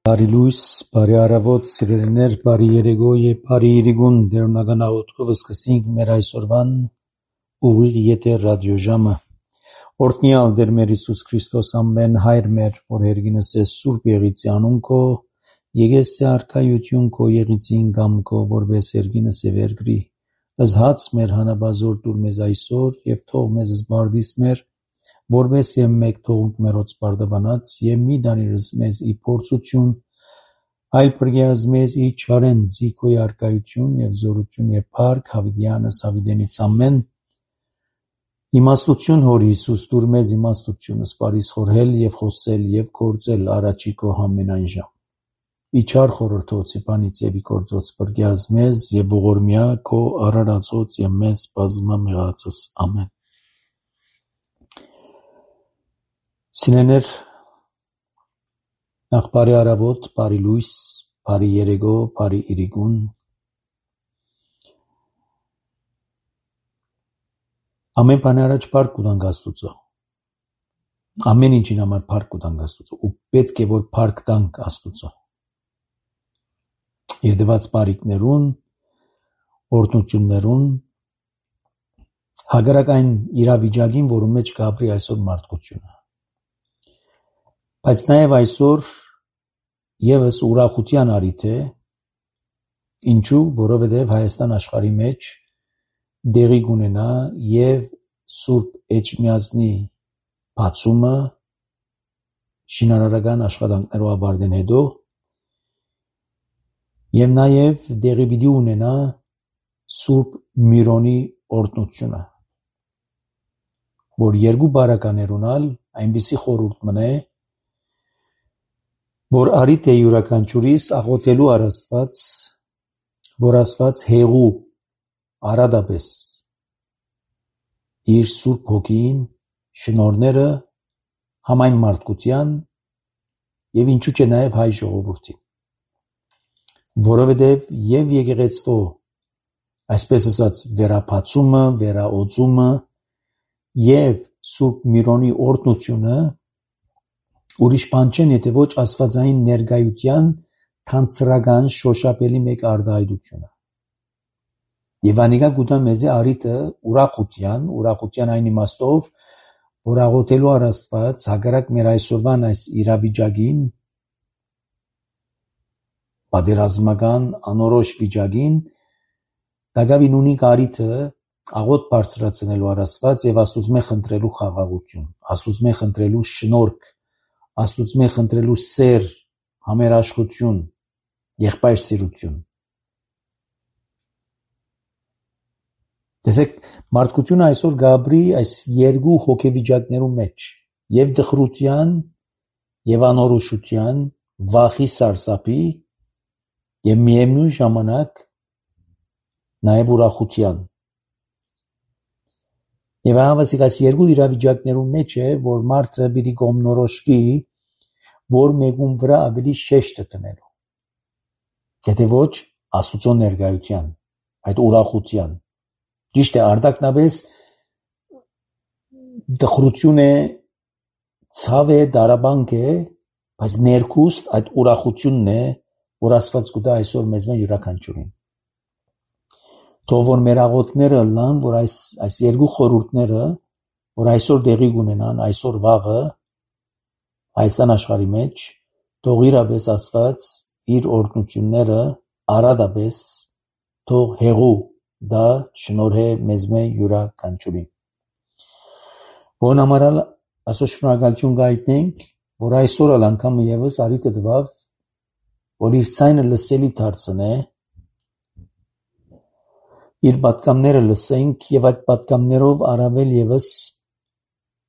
Բարի լույս, բարի առավոտ, սիրելիներ, բարի երեկո եւ բարի իրիգուն դերունական աղոթքով սկսենք մեր այսօրվան ուղիղ եթեր ռադիոժամը։ Օրհնյալ Տեր մեր Հիսուս Քրիստոս ամեն հայր մեր, որ հերգինս է սուրբ եղիցի անուն քո, եկես արքայություն քո եղիցին կամ քո, որպես հերգինս է վերգրի։ Զհաց մեր հանաբազոր դուր մեզ այսօր եւ թող մեզ զբարդիս մեր որպես եւ մեկ թողունք մերոց բարդաբանած եւ մի դանիրս մեզ ի փորձություն այլ բրգեզ մեզ ի չարեն զիքոյ արկայություն եւ զորություն եւ փառք հավիդյանս հավիդենից ամեն իմաստություն հոր Հիսուս դուր մեզ իմաստությունը սպարիս խորհել եւ խոսել եւ գործել առաջի քո ամենայն ժամ իչար խորհրդոցի բանից եւ ի գործոց բրգեզ մեզ եւ ողորմյա քո արարածոց եւ մեզ բազմա մեղածս ամեն Սիրելիներ, նախ բարի առավոտ, բարի լույս, բարի երեկո, բարի իրիգուն։ Ամեն բանի առաջ փառք կտանք Աստծո։ Ամեն ինչին համար փառք կտանք Աստծո ու պետք է որ փառք տանք Աստծո։ Իր դված բարիքներուն, օրհնություններուն, հակառակ այն իրավիճակին, որում մեջ կապրի այսօր մարդկությունը։ Բայց նաև այսօր եւս ուրախության առիթ է, ինչու, որովհետև Հայաստան աշխարհի մեջ դեղի կունենա եւ Սուրբ Էջմիածնի բացումը շինարարական աշխատանքներով ավարտեն հետո եւ նաև դեղի պիտի ունենա Սուրբ Միրոնի օրհնությունը, որ երկու բարականեր ունալ այնպիսի խորհուրդ մնե որ արիտ է յուրաքանչյուրիս աղոթելու Աստված, որ Աստված հեղու արադապես իր Սուրբ Հոգին շնորհները համայն մարդկության եւ ինչու՞ չէ նաեւ հայ ժողովրդին, որովհետեւ եւ եկեղեցվո այսպես ասած վերապացումը, վերաօծումը եւ Սուրբ Միրոնի օրհնությունը ուրիշ բան չեն, եթե ոչ աստվածային ներկայության թանցրական շոշափելի մեկ արտահայտությունը։ Եվ անիկա գուտա մեզի արիթը ուրախության այն իմաստով, որ աղոթելու Աստված հակառակ մեր այսօրվան այս իրավիճակին, պատերազմական անորոշ վիճակին, դակավին ունի կարիթը աղոթ բարձրացնելու Աստված եւ Աստուծմե խնդրելու խաղաղություն, Աստուծմե խնդրելու շնորհք, Աստուծմե խնդրելու սեր, համերաշխություն, եղբայր սիրություն։ Տեսեք, մարդկությունը այսօր գաբրի այս երկու հոգեվիճակներու մեջ, եւ դխրության, եւ անորոշության, վախի սարսափի, եւ միևնույն ժամանակ նաեւ ուրախության։ Եվ հավասիկ այս երկու իրավիճակներու մեջ է, որ մարդը պիտի կողմնորոշվի, որ մեկում վրա ավելի շեշտը տնելու։ Եթե ոչ, Աստուծո ներկայության, այդ ուրախության։ Ճիշտ է, արտակնապես դխրություն է, ցավ է, դարաբանք է, բայց ներքուստ այդ ուրախությունն է, որ Աստված կուտա այսօր մեզ մե յուրաքանչյուրին։ Թող որ մեր աղոթքները լան, որ այս երկու խորհուրդները, որ այսօր դեղի կունենան, այսօր վաղը Հայաստան աշխարհի մեջ, թող իրապես Աստված իր օրհնությունները արադապես թող հեղու դա շնորհե մեզ մե յուրաքանչյուրին։ Որն համարալ այսօր շնորհակալություն գայտնենք, որ այսօր անգամ եւս արիթը տվավ, որ իր ցայնը լսելի դարձնե, իր պատկամները լսենք եւ այդ պատկամներով առավել եւս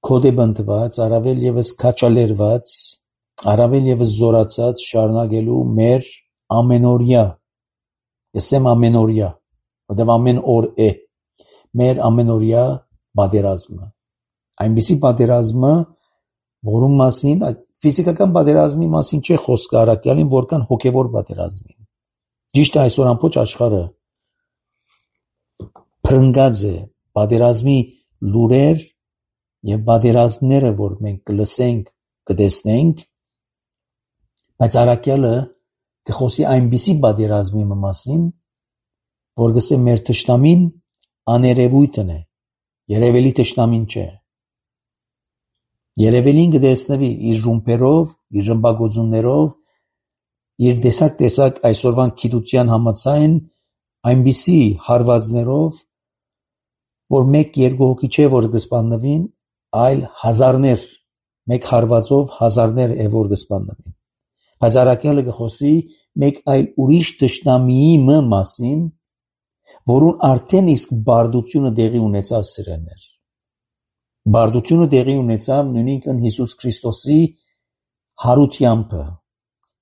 կոդեբընտված, առավել եւս քաչալերված, առավել եւս զորացած շարունակելու մեր ամենօրյա, ասեմ ամենօրյա, որտեղ ամեն օր է, մեր ամենօրյա պատերազմը, այնպիսի պատերազմը, որում մասին, այդ ֆիզիկական պատերազմի մասին չէ խոսքը առաքյալին, որքան հոգևոր պատերազմի։ Ճիշտ է այսօր ամբողջ աշխարհը փրկած է պատերազմի լուրեր եւ պատերազմները, որ մենք կլսենք, կտեսնենք, Բայց առաքյալը կխոսի այնպիսի պատերազմի մասին, որ գսե մեր թշնամին աներևույթն է, երևելի թշնամին չէ։ Երևելին կտեսնվի իր ռումբերով, իր ռմբագոծություններով, իր տեսակ այսօրվան գիտության համաձայն այնպիսի հարվածներով, որ մեկ-երկու հոգի չէ, որ կսպաննվին, այլ հազարներ, մեկ հարվածով հազարներ է, որ կսպաննվին։ Բայց առաքյալը կխոսի մեկ այլ ուրիշ թշնամիի մասին, որուն արդեն իսկ բարդությունը տեղի ունեցավ սիրելիներ։ Բարդությունը տեղի ունեցավ նույնիսկ Հիսուս Քրիստոսի հարությամբ։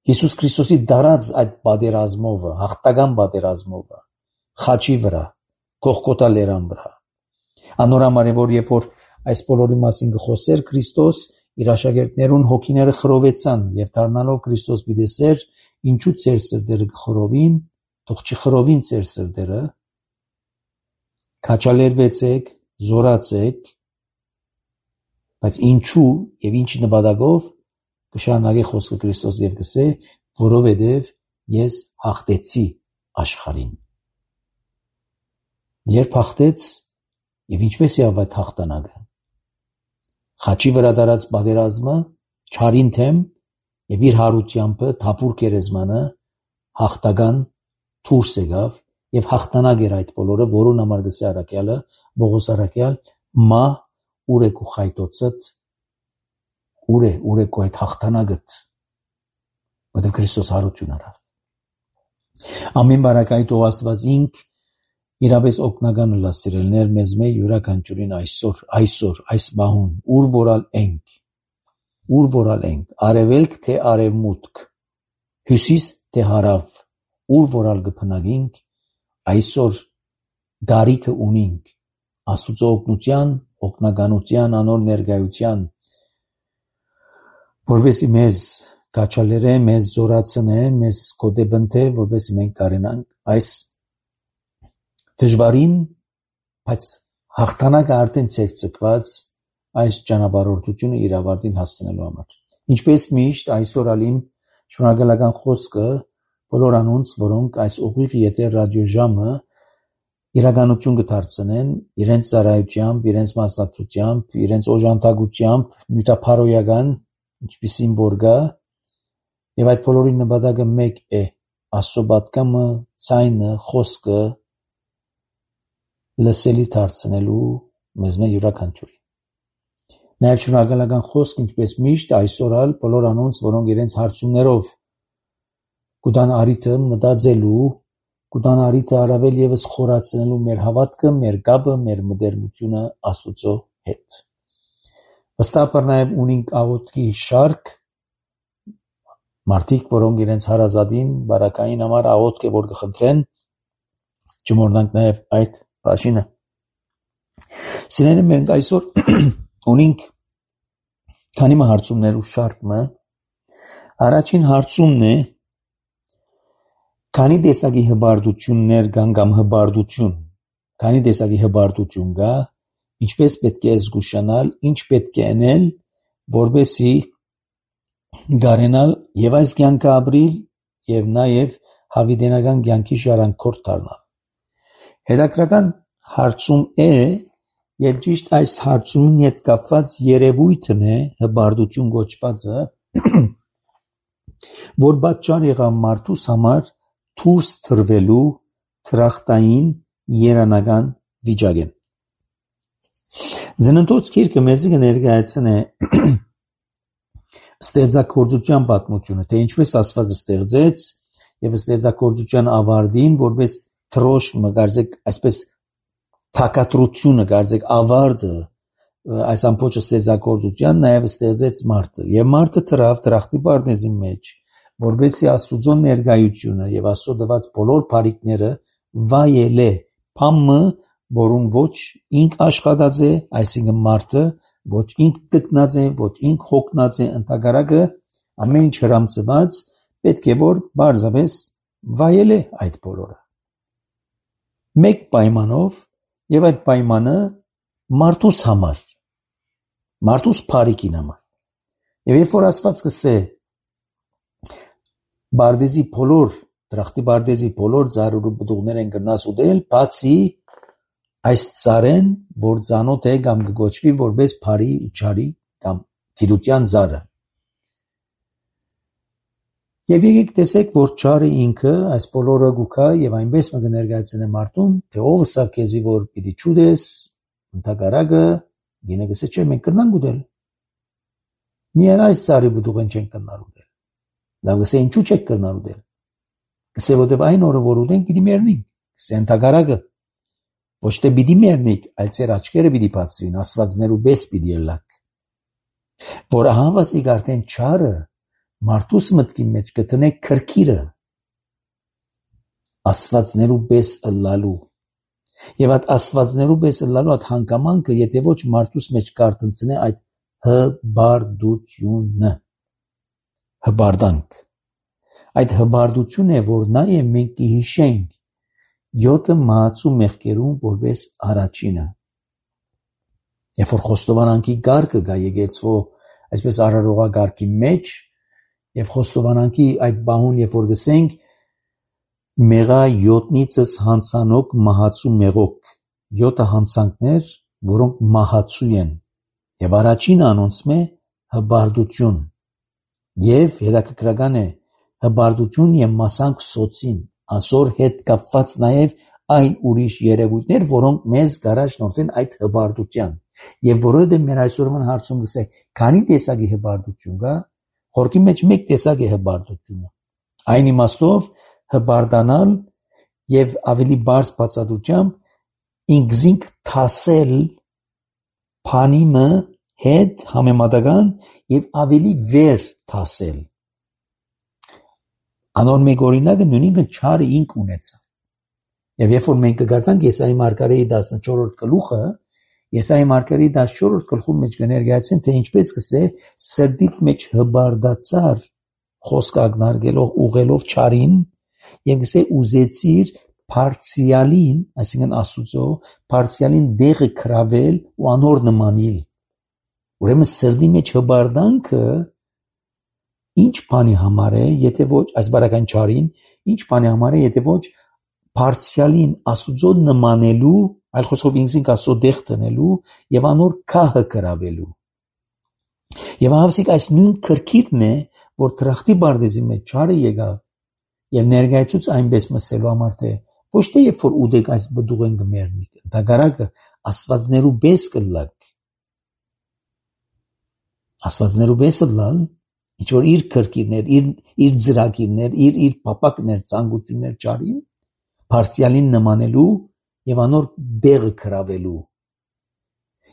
Հիսուս Քրիստոսի դարած այդ պատերազմով, հաղթական պատերազմով, խաչի վրա, Գողգոթա լերան վրա։ Անորամար է, որ երբ որ այս բոլորի մասին կխոսեր Քրիստոս, իր աշակերտներուն հոգիները խռովեցան եւ դառնալով Քրիստոս պիտեսեր, ինչու ծեր սրտերը կխռովին, թող չխռովին ծեր սրտերը, քաչալերվեցեք, զորացեք, բայց ինչու եւ ինչ նպատակով կշարունակի խոսքը Քրիստոս եւ կսե, որովհետեւ ես հաղթեցի աշխարհին։ Երբ հաղթեց եւ ինչպես եղավ այդ հաղթանակը։ Խաչի վրա դարած պատերազմը չարին թեմ եւ իր հարությամբ թափուր գերեզմանը հաղթական դուրս եկավ եւ հաղթանակ էր այդ բոլորը, որուն համար գսե առաքյալը Պողոս առաքյալ մա ուր է քու խայտոցդ ուր է քու այդ հաղթանակդ որովհետեւ Քրիստոս հարություն արավ ամեն բարակայի թող Աստված ինք իրապես օգնական լա սիրելներ մեզ մե յուրաքանչյուրին այսօր այս բահուն ուր որալ ենք արևելք թե արևմուտք հյուսիս թե հարավ ուր որալ կփնագինք այսօր դարիքը ունինք Աստուծո օգնության օգնականության անոր ներկայության որովհետեւ մեզ գաչալերը մեզ զորացնե մեզ կոդեբնթե որովհետեւ մենք կարենանք այս դժվարին, բայց հաղթանակը արդեն ցեկցկված այս ճանապարհորդությունը իր ավարտին հասցնելու համար։ Ինչպես միշտ այսօր ալիմ շնորհակալական խոսքը բոլոր անոնց, որոնք այս ուղիղ եթեր ռադիոժամը իրականություն կդարձնեն իրենց ծառայությամբ, իրենց մասնակցությամբ, իրենց օժանդակությամբ, նյութափարոյական, ինչպիսին որ գա, եւ այդ բոլորի նպատակը մեկ է՝ Աստծո պատգամը, ցայնը, խոսքը լսելի դարձնելու մեզ մե յուրաքանչյուրին։ Նաև շնորհակալական խոսք, ինչպես միշտ այսօր ալ բոլոր անոնց, որոնք իրենց հարցումներով կուտան արիթը մտածելու, կուտան արիթը առավել եւս խորացնելու մեր հավատքը, մեր գաբը, մեր մտերմությունը Աստծո հետ։ Վստահաբար նաև ունենք աղոթքի շարք մարդիկ, որոնք իրենց հարազատին, բարակային համար աղոթք է որ կխնդրեն, չմոռնանք նաև այդ բաժինը։ Սիրելիներ, մենք այսօր ունենք քանի հարցումներ ու շարքը։ Առաջին հարցումն է քանի տեսակի հբարտություններ կան կամ հբարտություն, քանի տեսակի հբարտություն կա, ինչպես պետք է զգուշանալ, ինչ պետք է անել, որպեսզի գարենալ եւ այս կյանքը ապրիլ եւ նաեւ հավիտենական կյանքի ժառանգորդ դառնալ։ Հետաքրական հարցում է եւ ճիշտ այս հարցումին հետ կապված երևույթն է հբարտություն կոչվածը, որ պատճառ եղավ մարդուս համար դուրս թրվելու թրախտային երանական վիճակեն։ Ծննդոց գիրքը մեզ կներկայացնե ստեղծագործության պատմությունը, թե ինչպես Աստված ստեղծեց եւ ստեղծագործության ավարտին, որպես թրոշմը, կարծեք այսպես թակատրությունը, կարծեք ավարտը այս ամբողջ ստեղծագործության նաեւ ստեղծեց մարդը եւ մարդը թրախտի բառնեզի մեջ, որպեսզի Աստուծո ներկայությունը եւ Աստծո տված բոլոր բարիքները վայելե, փամը, որուն ոչ ինք աշխատած է, այսինքն մարդը ոչ ինք տկնած է, ոչ ինք հոգնած է, ընդհակառակը ամեն ինչ հրամցված պետք է որ բարձավես վայելե այդ բոլորը։ Մեկ պայմանով եւ այդ պայմանը մարդուս համար, մարդուս բարիքին համար։ Եվ երբ որ Աստված կսե Բարդեզի բոլոր դրախտի բարդեզի բոլոր ծառու բդուղներ են կնաս ուտել, բացի այս ծառեն, որ ծանոթ է կամ կգոչվի որպես բարի ու չարի կամ գիտության ծառը։ Եվ եկեք տեսեք, որ չարը ինքը այս բոլորը գուքա եւ այնպես մը կներկայացնե մարդուն, թե ով սա քեզի որ պիտի ճուդես, ընդհակարակը գինը գսե չէ մենք կնանք ուտել։ Միայն այս ծառի բդուղեն չեն կնար ուտել։ Լավ գսե ինչու չեք կնար ուտել։ Գսե որտեվ այն օրը որ ուտենք պիտի մեռնենք։ Գսե ընդհակարակը ոչ թե պիտի մեռնենք, այլ ծեր աչքերը պիտի բացվին, աստվածներու բես պիտի ելակ։ Որ հավասիկ արդեն չարը մարդուս մտքի մեջ կտնե քրքիրը աստվածներու բես ըլլալու։ Եվ այդ աստվածներու բես ըլլալու այդ հանգամանքը, եթե ոչ մարդուս մեջ կարտնցնե այդ հբարդությունը, հբարդանք։ Այդ հբարդությունը, որ նաև մենք կհիշենք 7 մահացու մեղքերում որպես առաջինը։ Երբ որ խոստովանանքի գարկը գա եկեցվո, այսպես արարողագարկի մեջ, եւ խոստովանանքի այդ բահուն, երբ որ գսենք մեղա 7-նիցս հանցանոք մահացու մեղոք, 7 հանցանքներ, որոնք մահացու են, եւ առաջին անոնցում է հբարդություն, եւ հետաքրքրական է հբարդություն եւ մասանք սոցին, ասոր հետ կապված նաեւ այն ուրիշ երևույթներ, որոնք մեզ գարաժնորդեն այդ հբարդության, եւ որովհետեւ մեր այսօրվան հարցում գսեք, քանի տեսակի հբարդություն կա, խորքի մեջ մեկ տեսակ է հբարդությունը, այն իմաստով հբարդանալ եւ ավելի բարձ բացատրությամբ ինքզինք թասել փանիմը հետ համեմատական եւ ավելի վեր թասել։ Անոր մեկ օրինակը նույնիսկ չարը ինք ունեցա։ Եվ երբ որ մենք կգարտանք Եսայի մարգարեի 14-րդ գլուխը, Եսայի մարգարեի 14-րդ գլխում մեջ կներկայացեն, թե ինչպես կսե սրտիդ մեջ հբարդացար խոսք ագնարգելով ուղելով չարին եւ կսե ուզեցիր փարցիալին, այսինքն Աստուծո փարցիալին դեղը քրավել ու անոր նմանիլ։ Ուրեմն սրտի մեջ հբարդանքը ինչ բանի համար է, եթե ոչ այս բարական չարին, ինչ բանի համար է, եթե ոչ փարցիալին Աստուծո նմանելու, այլ խոսքով ինքնին Աստծո դեղ տնելու եւ անոր քահը կրավելու։ Եվ հավասիկ այս նույն քրքիրն է, որ դրախտի բարդեզի մեջ չարը եկավ եւ ներկայացուց այնպես մսելու համար թե ոչ թե երբ որ ուդեք այս բդուղեն գմերնիկ, դագարակը աստվածներու բես կլակ։ Աստվածներու բեսը լալ ինչ որ իր քրքիրներ, իր ծրագիրներ, իր պապակներ, ցանկություններ ճարին, փարցիալին նմանելու եւ անոր դեղը քրավելու։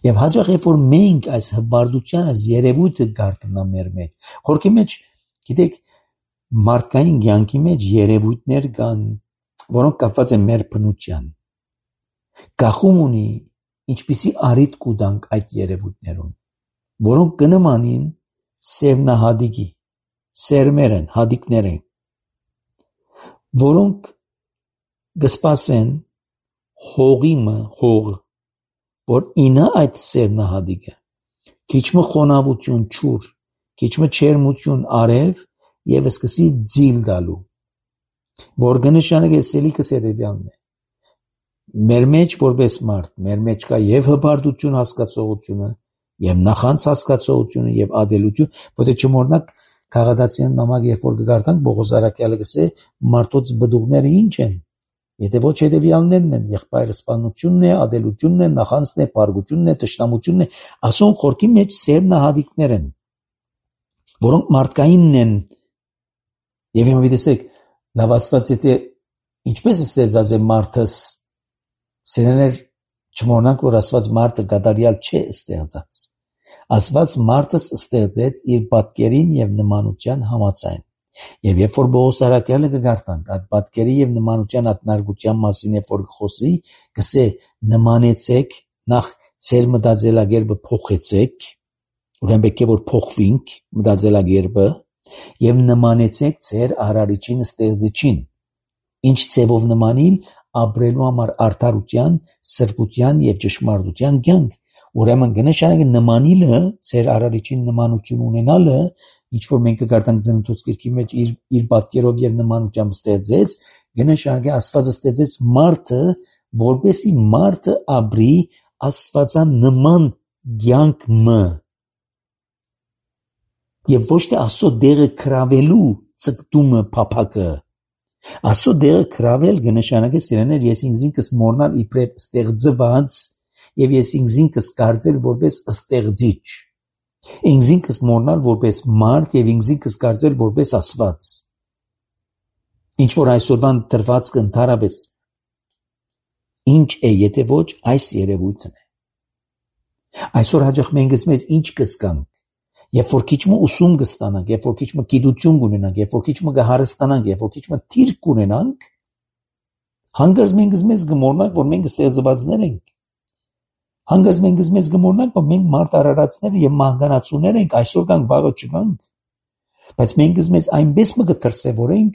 Եվ հաջող երբ որ մենք այս հբարդության այս երևույթը գարտնա մեր մեջ, խորքի մեջ, գիտեք, մարդկային կյանքի մեջ երևույթներ կան, որոնք կապված են մեր բնության։ Գախում ունի ինչպիսի առիթ կուտանք այդ երևույթներուն, որոնք կնմանին սերմնահադիկի, սերմեր են, հադիկներ են, որոնք կսպասեն հողիմը, հող, որ ինա այդ սերմնահադիկը, քիչմը խոնավություն չուր, քիչմը չերմություն արև եւ սկսի ձիլ դալու, որ կնշանակե սելիքս հետևյալն է։ Մեր մեջ որպես մարդ, մեր մեջ կա եւ հբարդություն հասկացողությունը, եւ նախանց հասկացողությունը եւ ադելություն, որտեղ չմոռնաք քաղաքացիական նամակ երբ որ կգարտանք Բողոս Արաքյալը գսե մարդոց բդուղները ինչ են, եթե ոչ հետևյալներն են, եղբայրը սպանությունն է, ադելությունն է, նախանցն է, բարգությունն է, տշնամությունն է, ասոն խորքի մեջ սերմնահադիկներ են, որոնք մարդկայինն են։ Եվ հիմա դեսեք, լավ Աստված եթե ինչպես ստեղծած է մարդս, սերեներ չմոռնանք, որ Աստված մարդը կատարյալ չէ ստեղծած։ Աստված մարդս ստեղծեց իր պատկերին եւ նմանության համաձայն։ Եվ երբ որ Բողոս Արաքյալը կգարտանք այդ պատկերի եւ նմանության ակնարկության մասին երբ որ խոսի, գսե նմանեցեք, նախ ծեր մտածելակերպը փոխեցեք, ուրեմն պետք է որ փոխվինք մտածելակերպը եւ նմանեցեք ծեր արարիչին ստեղծիչին, ինչ ծևով նմանիլ ապրելու համար արդարության, սրբության եւ ճշմարտության կյանք, Ուրեմն կնշանակի նմանիլը, ծեր արարիչին նմանություն ունենալը, ինչ որ մենք կգարտանք Ծննդոց գրքի մեջ իր պատկերով եւ նմանությամբ ստեղծեց, կնշանակի Աստվածը ստեղծեց մարդը, որպեսի մարդը ապրի աստվածանման կյանքը եւ ոչ թե Աստծո դերը քրավելու ցկտումը փափակը։ Աստծո դերը քրավել կնշանակի սիրեներ ես ինքս մորնալ իբրև ստեղծված եւ ես ինքս կարծել որպես ստեղծիչ։ Ինքս մորնալ որպես մարդ եւ ինքս կարծել որպես Աստված։ Ինչ որ այսօրվան դրվածքը ընդհանրապես ինչ է, եթե ոչ այս երևույթն է։ Այսօր հաջող մենք մեզ ինչ կսկանք, երբ որ քիչ ուսում կստանանք, երբ որ քիչ գիտություն կունենանք, երբ որ քիչ կհարստանանք, երբ որ քիչ թիրք կունենանք, հանգարց մենք մեզ կմոռնանք, որ մենք ստեղծվածներ ենք։ Հանգարց մենք մեզ կմոռնանք, որ մենք մարդ արարածներ եւ մահկանացուներ ենք, այսօր կան վաղը չկանք։ Բայց մենք մեզ այնպես կդրսևորենք,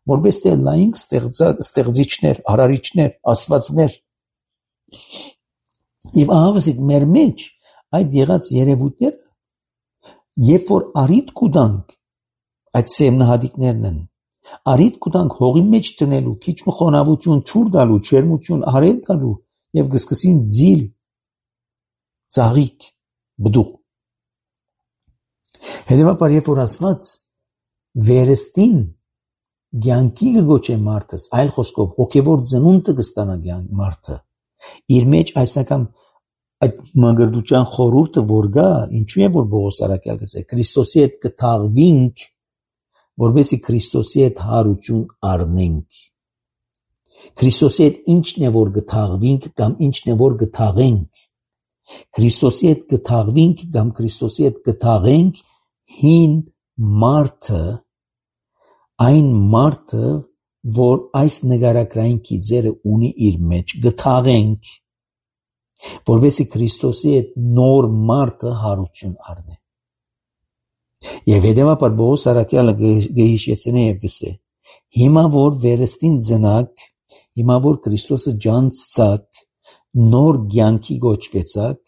որպես թե լայնք ստեղծիչներ, արարիչներ, աստվածներ։ Եվ ահավասիկ մեր մեջ այդ եղած երևույթները, երբ որ արիտ կուտանք, այդ սեմնահատիկներն են, արիտ կուտանք հողի մեջ տնելու, քիչ խոնավություն չուր տալու, չերմություն արել տալու եւ կսկսին ձիլ, ծաղիկ, բդուղ։ Հետևաբար երբ որ Աստված վերստին կյանքի կգոչե մարդս, այլ խոսքով հոգևոր ծնունդը կստանա մարդը, իր մեջ այսական այդ մագրդության խորհուրդը որ գա, ինչու է որ Պողոս առաքյալ գսե Քրիստոսի հետ կթաղվինք, որովհետեւ Քրիստոսի հետ հարություն առնենք։ Քրիստոսի հետ ինչն է որ կթաղվինք կամ ինչն է որ կթաղենք։ Քրիստոսի հետ կթաղվինք կամ Քրիստոսի հետ կթաղենք հին մարդը, այն մարդը, որ այս նկարագրային գիծերը ունի իր մեջ, կթաղենք, որովհետեւ Քրիստոսի հետ նոր մարդը հարություն առնե։ Եվ հետևաբար Պողոս առաքյալը գհիշեցնե եւ գսե. հիմա որ վերստին ծնակ, հիմա որ Քրիստոսը ջանցցակ, նոր կյանքի գոչվեցակ,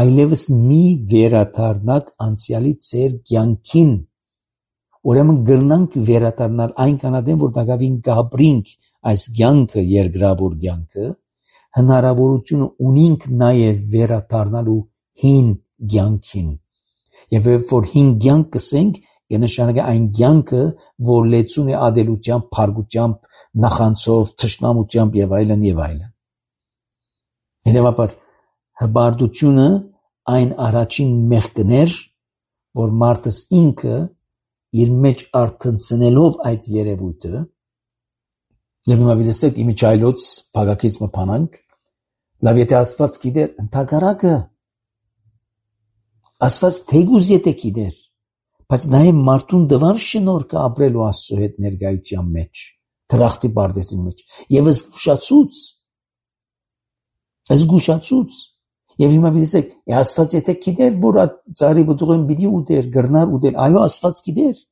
այլևս մի վերադառնաք անցյալի ծեր կյանքին։ Ուրեմն գրնանք վերադառնալ այն կանադեն, որ դակավին գաբրինք այս կյանքը, երկրավոր կյանքը, հնարավորությունը ունինք նաև վերադառնալու հին կյանքին։ Եվ որ հին կյանք կսենք, կնշանակի այն կյանքը, որ լեցուն է ադելությամբ, փարգությամբ, նախանցով, թշնամությամբ եւ այլն եւ այլն։ Հետևաբար հբարդությունը այն առաջին մեղքներ, որ մարդս ինքը իր մեջ արթնցնելով այդ երևույթը, եւ հիմա դեսեք իմիջայլոց փագակից մփանանք, լավ եթե Աստված գիտեր ընդհակառակը, Աստված թեգուզ եթե գիտեր, բայց նաեւ մարդուն դվավ շնորհքը ապրելու Աստծո հետ ներկայության մեջ, դրախտի բարդեսի մեջ, եւ զգուշացուց, եւ հիմա դեսեք, Աստված եթե գիտեր, որ ծառի բդուղեն պիտի ուտեր, գրնար ուտել, այո Աստված գիտեր,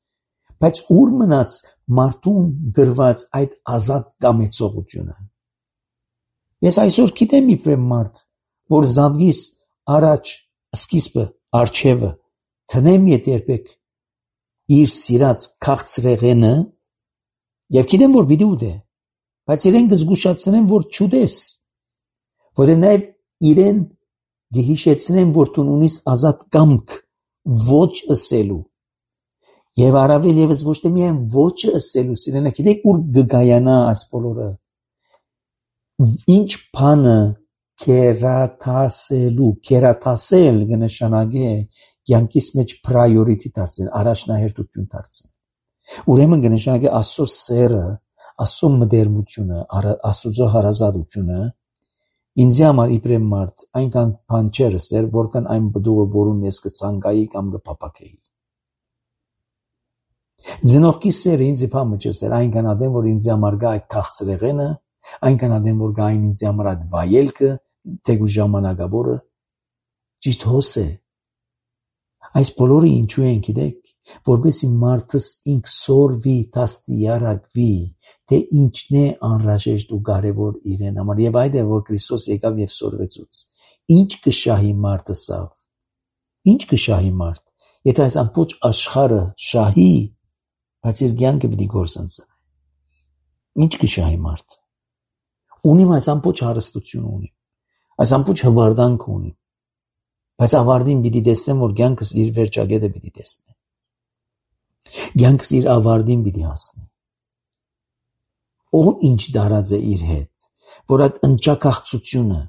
բայց ուր մնաց մարդուն դրված այդ ազատ կամեցողությունը։ Ես այսօր գիտեմ իբրև մարդ, որ զավգիս առաջ սկիզբը արջևը տնեմ երբեք իր սիրած քաղցրեղենը եւ գիտեմ որ պիտի ուտե, բայց իրեն կզգուշացնեմ որ չուտես, որը նաեւ իրեն գհիշեցնեմ որ դու ունիս ազատ կամք ոչ ըսելու եւ առավել եւս ոչ թե միայն ոչ ըսելու, սիրելիներ, գիտեք ուր գգայանա այս բոլորը, ինչ բանը քերաթասել կնշանակի կյանքիս մեջ priority դարձնել, առաջնահերթություն դարձնել։ Ուրեմն կնշանակի Աստծո սերը, Աստծո մտերմությունը, Աստծո հարազատությունը ինձ համար իբրև մարդ այնքան բան չէր սեր, որքան այն բդուղը, որուն ես կցանկայի կամ կփափակեի։ Ձնողքի սերը ինձ իբամը չէր, այնքան ադեմ, որ ինձ համար գա այդ քաղցրեղենը, այնքան ադեմ, որ գա այն ինձ համար այդ վայելքը, թեգու ժամանակավորը, ճիշտ հոս է։ Այս բոլորը ինչու են գիտեք, որպեսզի մարդս ինք սորվի, դաստիարակվի, թե ինչն է անհրաժեշտ ու կարևոր իրեն համար, եւ այդ է որ Քրիստոս եկավ եւ սորվեցուց։ ինչ կշահի մարդը սավ։ Ինչ կշահի մարդ։ Եթե այս ամբողջ աշխարհը շահի, բայց իր կյանքը պիտի գործընծի։ Ինչ կշահի մարդ։ Ունիմ այս ամբողջ հարստությունը ունիմ։ Այս ամբողջ հվարդանքը ունիմ։ Բայց ավարտին պիտի տեսնեմ, որ կյանքս իր վերջագետը պիտի տեսնեմ։ Կյանքս իր ավարտին պիտի հասնի։ Ով ինչ դարած է իր հետ, որ այդ ընճակաղցությունը,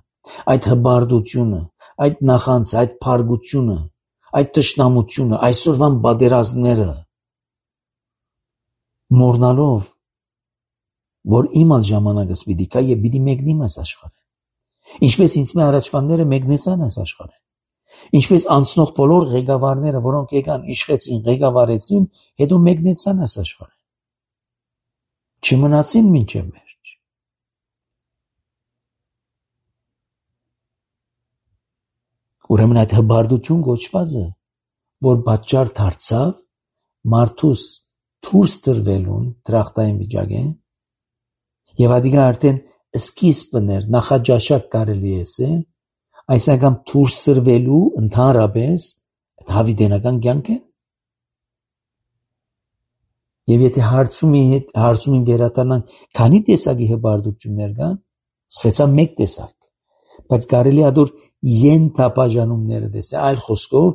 այդ հբարդությունը, այդ նախանձը, այդ փարգությունը, այդ տշնամությունը, այսօրվան բادرազմները մորնալով, որ իմ ալ ժամանակս պիտի կա եւ պիտի մեկնիմ այս աշխարհը։ Ինչպես ինձ մե առաջվանները մեկնեցան այս աշխարհը։ Ինչպես անցնող բոլոր ղեկավարները, որոնք եկան իշխեցին, ղեկավարեցին, հետո մեկնեցան այս աշխարհը։ Չմնացին մինչև վերջ։ Ուրեմն այդ հբարդություն գոչվածը, որ պատճառ դարձավ մարդուս դուրս տրվելուն դրախտային վիճակեն, եւ ադիգա արդեն սկիզբն էր, նախաճաշակ կարելի է, այսինքն դուրս տրվելու ընդհանրապես հավիտենական կյանք է։ Եվ եթե հարցումին վերադառնան, քանի տեսակի հբարդություններ կան, սվեցա մեկ տեսակ, բայց կարելի է դուր ենթապաժանումները տեսնել, այլ խոսքով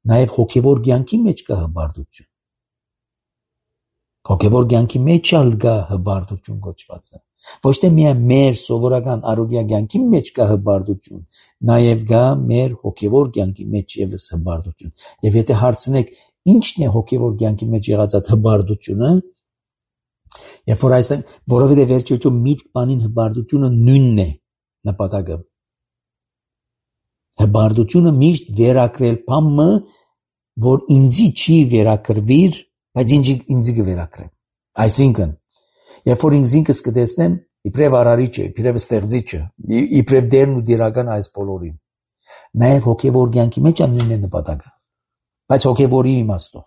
նաև հոգևոր կյանքի մեջ կա հբարդություն։ Հոգևոր կյանքի մեջ ալ կա հբարդություն գոչվածը։ Ոչ թե միայն մեր սովորական առօրյա կյանքի մեջ կա հբարդություն, նաև կա մեր հոգևոր կյանքի մեջ եւս հբարդություն։ Եվ եթե հարցնեք, ինչն է հոգևոր կյանքի մեջ եղած այդ հբարդությունը, երբ որ այսինքն, որովհետեւ վերջեջո միտք բանին հբարդությունը նույնն է նպատակը։ Հբարդությունը միշտ վերակրել բամը, որ ինձի չի վերակրվիր, բայց ինձի կվերակրեմ։ Այսինքն, երբ որ ինքս կտեսնեմ, իբրև արարիչը, իբրև ստեղծիչը, իբրև դերն ու դիրական այս բոլորին, նաև հոգևոր կյանքի մեջ նույնն է նպատակը, բայց հոգևորի իմաստով։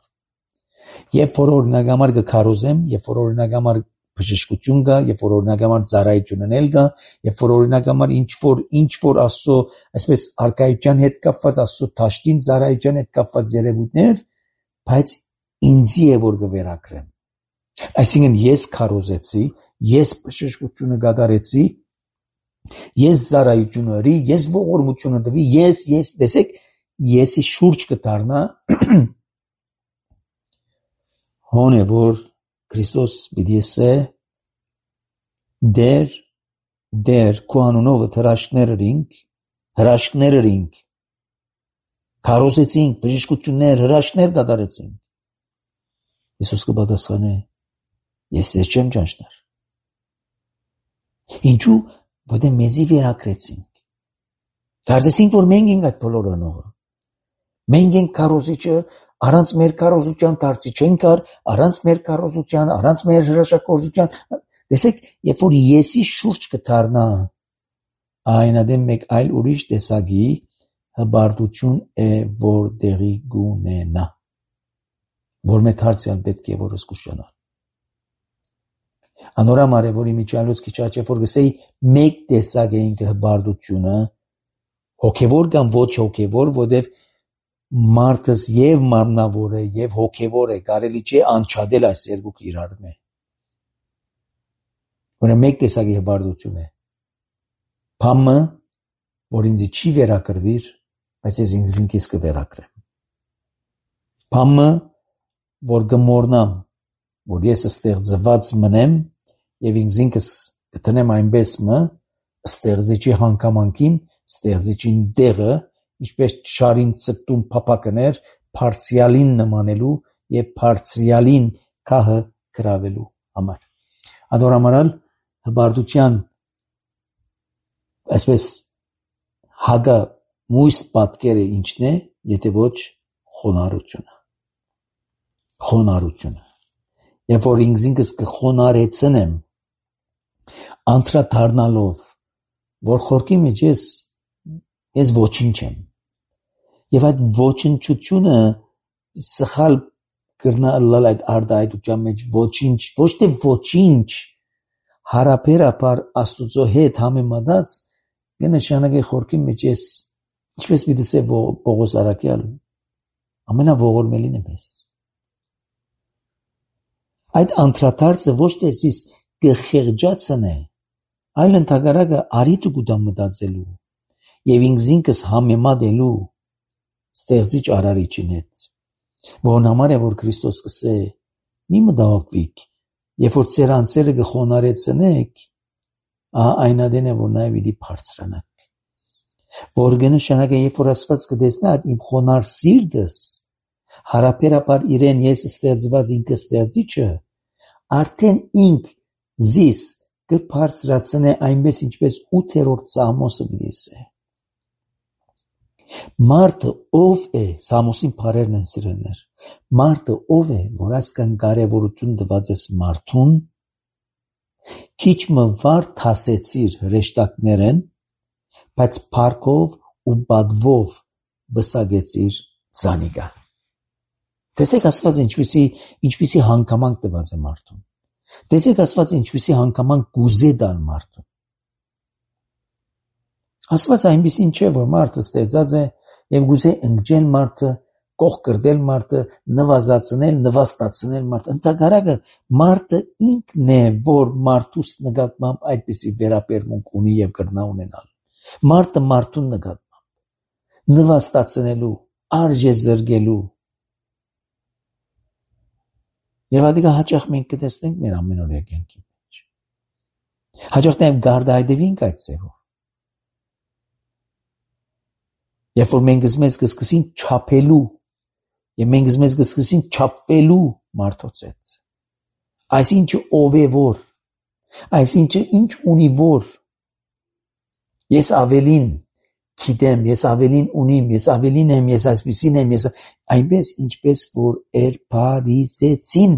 Երբ որ օրինակ համար կքարոզեմ, երբ որ օրինակ համար բժշկություն կա, երբ որ օրինակ համար ծառայություն ունել կա, երբ որ օրինակ համար ինչ որ Աստծո, այսպես արկայության հետ կապված Աստծո դաշտին ծառայության հետ կապված երևույթներ, բայց ինձի է որ կվերակրեմ։ Այսինքն ես քարոզեցի, ես բժշկությունը կատարեցի, ես ծառայություն արի, ես ողորմությունը տվի, ես տեսեք, եսի շուրջ կդառնա հոն է որ Քրիստոս պիտի ասե դեր քո անունով հրաշքներ ինք քարոզեցինք, բժշկություններ, հրաշքներ կատարեցինք։ Հիսուս կպատասխանե. ես ձեզ չեմ ճանչնար։ Ինչու՞, որտեղ մեզի վերակրեցինք։ Կարծեցինք, որ մենք ենք այդ բոլորը նողը։ Մենք ենք քարոզիչը, առանց մեր քարոզության դարձի չեն կար, առանց մեր քարոզության, առանց մեր հրաշագործության։ Տեսեք, երբ որ եսի շուրջ կդառնա, այնադեմ մեկ այլ ուրիշ տեսակի հբարդություն է, որ դեղի գունենա, որ մեծ հարցյալ պետք է որ զգուշանալ։ Անորամար է, որ իմիջիալոց քիչ աչե որ գսեի մեկ տեսակ է ինքը հբարդությունը, հոգևոր կամ ոչ հոգևոր, որտեղ մարդս եւ մարմնավոր է եւ հոգևոր է, կարելի չէ անչադել այս երկուքը իրար մե։ Որը մեկ տեսակի հբարդություն է։ Փամը, որ ինձ չի վերակրվիր, բայց ես ինքս կվերակրեմ։ Փամը, որ գմորնամ, որ ես ստեղծված մնեմ եւ ինքս կտնեմ այնպես մը ստեղծիչի հանգամանքին, ստեղծիչին դեղը, ինչպես շարին ծպտում փապակներ, բարձրյալին նմանելու եւ բարձրյալին քահը գրավելու համար։ Ադորամարալ հբարդության այսպես հագա մույս պատկերը ինչն է, եթե ոչ խոնարհությունը։ Խոնարհությունը։ Երբ որ ինքս կխոնարեցնեմ, անդրադառնալով, որ խորքի մեջ ես ոչինչ եմ։ Եվ այդ ոչնչությունը սխալ կրնալ այդ արտահայտության մեջ ոչինչ, ոչ թե ոչինչ, հարաբերաբար Աստուծո հետ համեմատած կնշանակի խորքի մեջ ես Ինչպես մի դասե Պողոս Արաքյալ ամենաողորմելին է մեզ։ Այդ անդրադարձը ոչ թե զիս կխեղճացն է, այլ ընդհակառակը արիտ կուտա մտածելու եւ ինքզինքս համեմատելու ստեղծիչ արարիչին հետ, որն համար է որ Քրիստոս կսե մի մտահոգվիք, երբ որ ձեր անձերը կխոնարեցնեք, այնադեն է որ նաեւ իդի բարձրանաք, որ կնշանակե երբ որ Աստված կտեսնա իմ խոնար սիրտս, հարաբերաբար իրեն ես ստեղծված ինքը ստեղծիչը, արդեն ինք զիս կբարձրացնե այնպես ինչպես 8-րդ Սամոսը գիսե։ Մարդը ով է, Սամոսին բարերն են սիրելներ, մարդը ով է, որ այսքան կարևորություն տված ես մարդուն, քիչ մվար թասեցիր հրեշտակներեն, բայց փառքով ու բադվով բսագեցիր զանիգա։ Տեսեք Աստված ինչպիսի հանգամանք տված է մարդուն։ Տեսեք Աստված ինչպիսի հանգամանք գուզե դան մարդուն։ Աստված այնպիսին չէ, որ մարդը ստեղծած է եւ գուզե ընկճել մարդը, կողքրդել մարդը, նվազացնել, նվաստացնել մարդը։ Ընդհակառակը մարդը ինքն է, որ մարդուս նկատմամբ այդպիսի վերաբերմունք ունի եւ կրնա ունենալ։ Մարդը մարդուն նկատմամբ նվաստացնելու, արժե զրկելու Եվ ադիգա հաճախ մենք կտեսնենք մեր ամենօրյա կյանքի մեջ։ Հաճախ նաև գարդայդևինք այդ ձևով։ Երբ որ մենք մեզ կսկսին չափելու, եւ մենք մեզ կսկսին չափվելու մարդոց հետ։ Այսինչը ով է որ, այսինչը ինչ ունի որ, ես ավելին գիտեմ, ես ավելին ունիմ, ես ավելին եմ, ես այսպեսին եմ, ես այնպես ինչպես որ Փարիսեցին,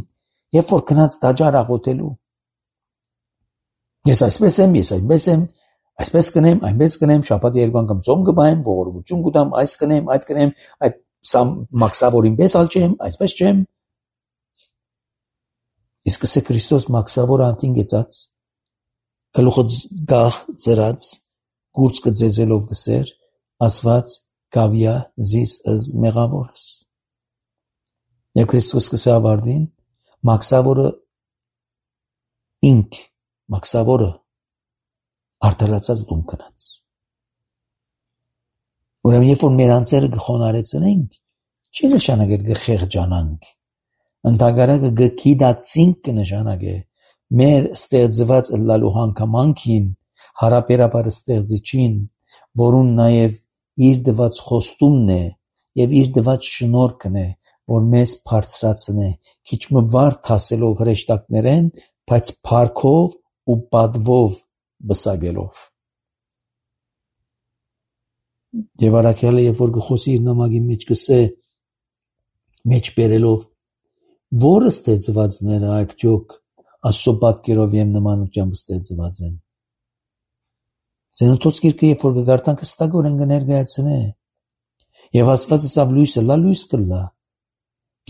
երբ որ գնաց տաճար աղոթելու։ Ես այսպես եմ, ես այնպես եմ, այսպես կնեմ, այնպես կնեմ, շաբաթ 2 անգամ ծոմ կբայեմ, ողորմություն կտամ, այս կնեմ, այդ կնեմ, այդ մաքսավորին պես ալ չեմ, այսպես չեմ։ Իսկ սա Քրիստոս մաքսավոր անտին գեցած, գլուխը գախ ծրած, գուրծքը ձեզելով գսեր, ասված գավիա զիս ըզ մեղավորս։ Եվ Քրիստոս կսե ավարդին, մաքսավորը ինք, մաքսավորը արդարացած դում կնած։ Ուրեմն երբ որ մեր անձերը կխոնարեցնենք, չի նշանակել կխեղճանանք, ընդհակառակը կգիտակցինք կնշանակե մեր ստեղծված ըլլալու հանգամանքին, հարաբերաբար ստեղծիչին, որուն նաև իր դված խոստումն է եւ իր դված շնորհքն է, որ մեզ բարձրացնե, քիչ մվար թասելով հրեշտակներեն, բայց փառքով ու բադվով բսագելով։ Եվ Արաքյալը երբ որ գխոսի իր նամակի մեջ գսե, մեջ բերելով, որը ստեղծվածները արդյոք Աստծո պատկերով եւ նմանությամբ ստեղծված են։ Զենոթոց գիրքը երբ որ կգարտանք հստակորեն կներկայացնե, եւ Աստված ասավ լույսը լա լույս կլա,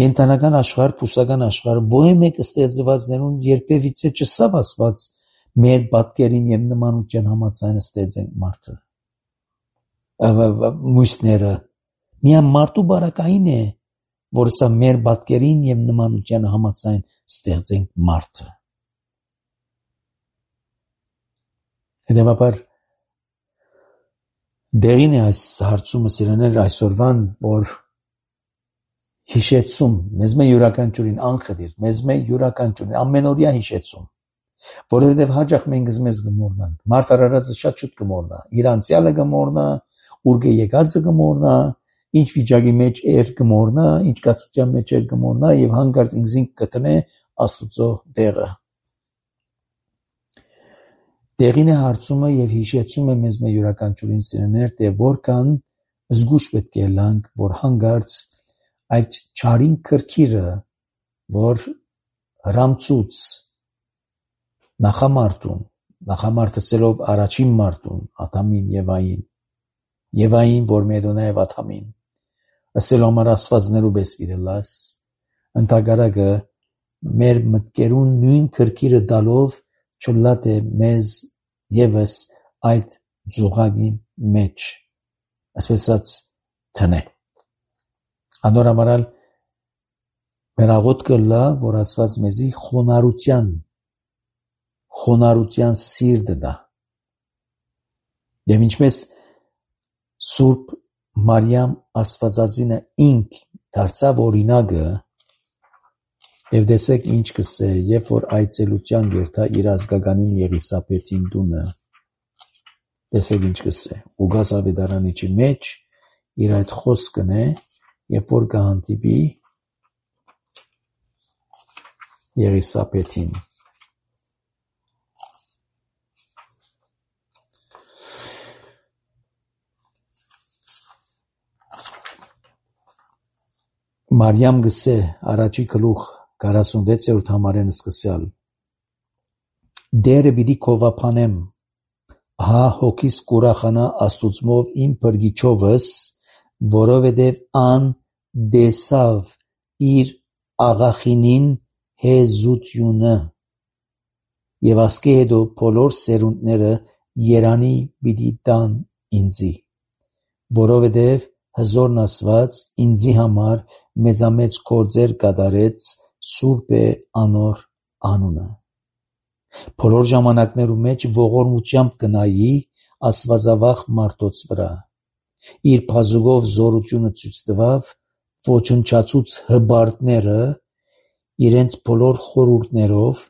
կենտանական աշխարհ, փուսական աշխարհ, ո՞ե մեկ ստեղծվածներուն երբևիցե չսավ Աստված մեր պատկերին եւ նմանության համաձայն ստեղծենք մարդը։ Մույսները միայն մարդու բարակային է, որ սա մեր պատկերին եւ նմանության համաձայն ստեղծենք մարդը։ Հետևաբար դերին է այս հարցումը սիրաներ այսօրվան, որ հիշեցում, մեզ մե յուրաքանչյուրին անխտիր, մեզ մե յուրաքանչյուրին ամենօրյա հիշեցում, որովհետև հաճախ մենք մեզ գմորնանք, մարդ արարածը շատ շուտ գմորնա, իր անցյալը գմորնա, ուր եկածը գմորնա, ինչ վիճակի մեջ էր գմորնա, ինչ կացության մեջ էր գմորնա եւ հանգարտ ինքզին կտնե Աստուծո դերը։ Դերին է հարցումը եւ հիշեցում է մեզ մե յուրաքանչյուրին սիրներ, թե որքան զգուշ պետք է լանք, որ հանգարտ այդ չարին քրքիրը, որ հրամցուց նախամարտեցելով առաջին մարդուն, Ադամին Եվային, որ մեդոնա եւ Ադամին, ասելով համար ասվածներու պես վիդելաս, ընդհակառակը մեր մտքերուն նույն քրքիրը դալով չլատ է մեզ եւս այդ զուղակին մեջ ասես թնե։ Անոր համարալ մեր աղոթքը լա, որ Աստված մեզի խոնարհության սիրտը տա։ Եվ ինչպես Սուրբ Մարիամ Աստվածածինը ինք դարձավ օրինակը, եւ տեսեք ինչ կսե, երբ որ այցելության գերտա իր ազգականին Եղիսաբեթին տունը, տեսեք ինչ կսե։ Ղուկաս ավետարանիչի մեջ իր այդ խոսքն է, երբ որ կհանդիպի Եղիսաբեթին։ Մարիամ գսե առաջի գլուխ 46-րդ համարեն սկսյալ. Դերը պիտի քովափանեմ, հա հոգիս կուրախանա Աստուծմով իմ բրգիչովս, որովհետև ան դեսավ իր աղախինին հեզությունը, եւ ասկե հետո բոլոր սերունդները երանի պիտի տան ինձի, որովհետև հզորն Աստված ինձի համար մեծամեծ գործեր կատարեց, սուրբ է անոր անունը։ Բոլոր ժամանակներու մեջ ողորմությամբ կնայի Աստվածավախ մարդոց վրա։ Իր բազուկով զորությունը ցույց տվավ, ոչնչացուց հբարտները իրենց բոլոր խորհուրդներով,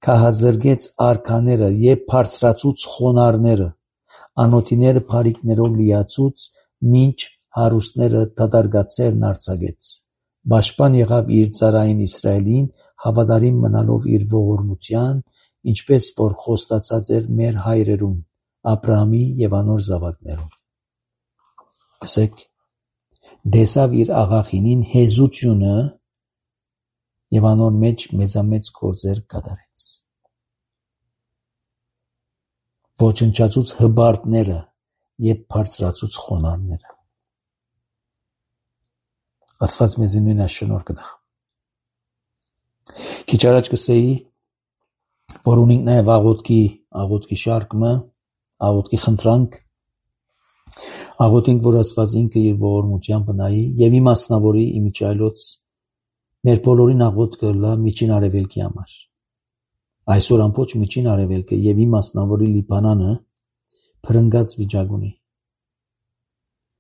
քահազրկեց արքաները եւ բարձրացուց խոնարհները, անոթիները բարիկներով լիացուց, մինչ հարուստները դատարկացերն արձակեց։ Պաշտպան եղավ իր ծառային Իսրայելին, հավատարիմ մնալով իր ողորմության, ինչպես որ խոստացած էր մեր հայրերուն, Աբրահամի եւ անոր զավակներուն։ Ասեք, դեսավ իր աղախինին հեզությունը եւ անոր մեջ մեծամեծ գործեր կատարեց։ Ոչնչացուց հբարտները եւ բարձրացուց խոնարհները։ Աստված մեզի նույն շնորհ կտա։ Քիչ առաջ կսեի, որ ունենք նաև աղոթքի շարքը, աղոթքի խնդրանք, աղոթենք, որ Աստված ինքը իր ողորմությամբ նայի եւ իմաստնավորի իմիջայլոց մեր բոլորին աղոթքը լա միջին արևելքի համար։ Այսօր ամբողջ միջին արևելքը եւ իմաստնավորի Լիբանանը